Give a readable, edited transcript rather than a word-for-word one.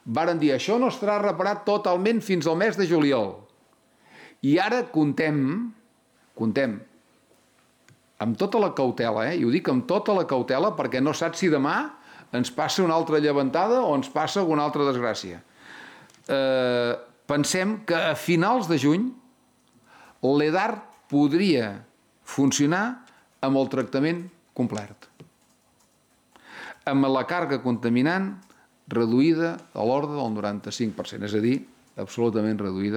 varen dir això no estarà reparat totalment fins al mes de juliol. I ara contem amb tota la cautela, i ho dic amb tota la cautela perquè no saps si demà ens passa una altra llevantada o ens passa alguna altra desgràcia. Pensem que a finals de juny l'EDAR podria funcionar amb el tractament complet, amb la càrrega contaminant reduïda a l'ordre del 95%, és a dir, absolutament reduïda.